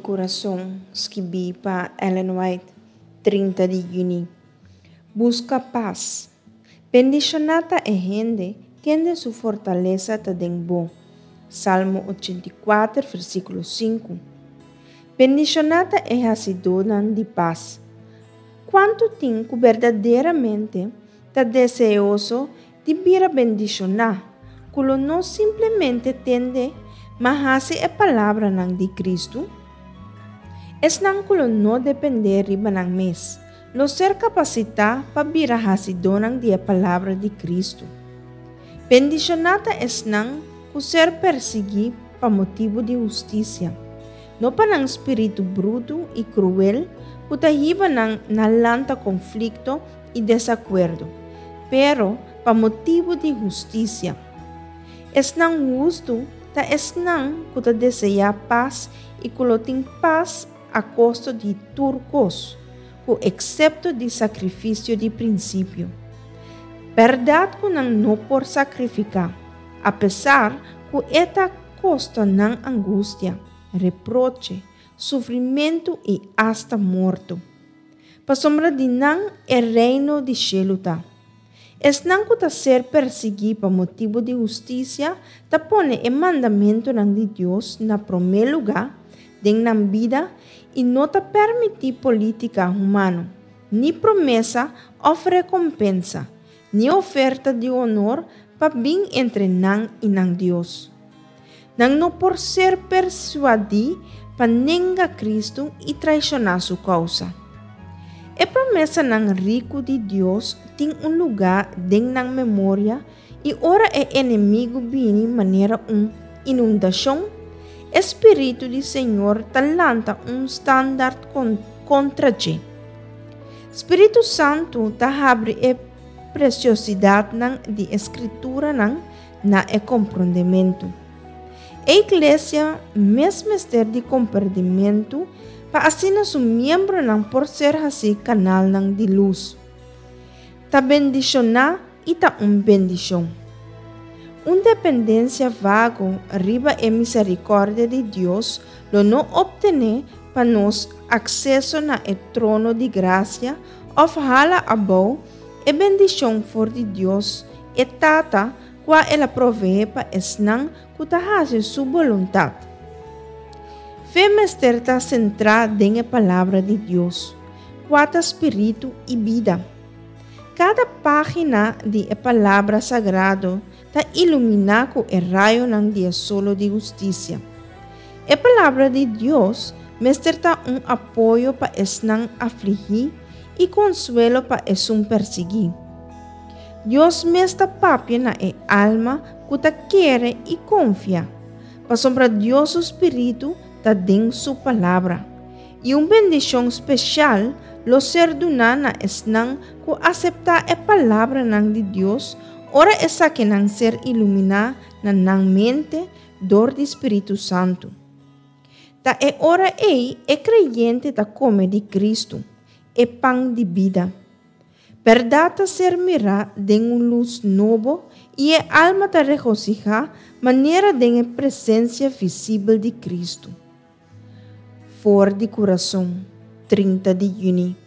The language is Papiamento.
Kurason, skibí pa Ellen White, 30 di yüni. Buska pas. Bendishoná ta e hende kende su fortalesa ta den bo. Salmo 84, versíkulo 5. Bendishoná ta e hasidónan di pas. Kuantu tin ku berdaderamente ta deseoso di bira bendishoná, ku lo no simplemente tende, ma hasi e palabranan di Kristu? Esnan ku lo no dependé riba nan mes, lo ser kapasitá pa bira hasidónan di e palabra di Kristu. Bendishoná ta esnan ku ser persiguí pa motibu di hustisia, no pa nan spiritu brutu i kruel ku ta hiba nan na lanta konflikto i desakuerdo, pero pa motibu di hustisia. Esnan hustu ta esnan ku ta deseá pas i ku lo tin pas a kosto di tur kos, ku eksepto di sakrifisio di prinsipio. Bèrdat ku nan no por sakrifiká, apesar ku e ta kosta nan angustia, reproche, sufrimentu i asta morto. Pasobra di nan e Reino di shelu ta. Esnan ku ta ser persiguí pa motibu di hustisia ta pone e mandamentunan di Dios na promé lugá den nan bida i no ta permití polítika humano, ni promesa òf rekompensa, ni oferta di honor pa bin entre nan i nan Dios. Nan no por ser persuadí pa nenga Kristu i traishoná su kousa. E promesanan riku di Dios tin un lugá den nan memoria i ora e enemigu bini manera un inundashon, e spiritu di Señor ta lanta un standart kontra dje. Spiritu Santu ta habri e presiosidatnan di e Skrituranan na e komprondementu. E iglesia mes mester di komprendimentu pa asina su miembronan por ser hasí kanalnan di lus. Ta bendishoná i ta un bendishon. Un dependensia vago riba e miserikòrdia di Dios lo no optené pa nos akseso na e trono di grasia òf hala abou E bendishon for di Dios, e Tata, kua el a proveé pa esnan ku ta hasi su boluntat. Fe mester ta sentrá den e Palabra di Dios, kua ta spiritu i bida. Kada página di e Palabra Sagrado ta iluminá ku e rayonan di e solo di hustisia. E Palabra di Dios mester ta un apoyo pa esnan afligí i konsuelo pa esun persiguí. Dios mes ta papia na e alma ku ta kere i konfia, pasobra Dios su spiritu ta den su Palabra, i un bendishon speshal lo ser duná na esnan ku aseptá e palabranan di Dios ora esakinan ser iluminá na nan mente dor di spiritu santu. Ta e ora ei e kreyente ta kome di Kristu, e pan di bida. Bèrdat ta ser mirá den un lus nobo i e alma ta regosihá manera den e presensia visibel di Kristu. For di kurason, 30 di yüni.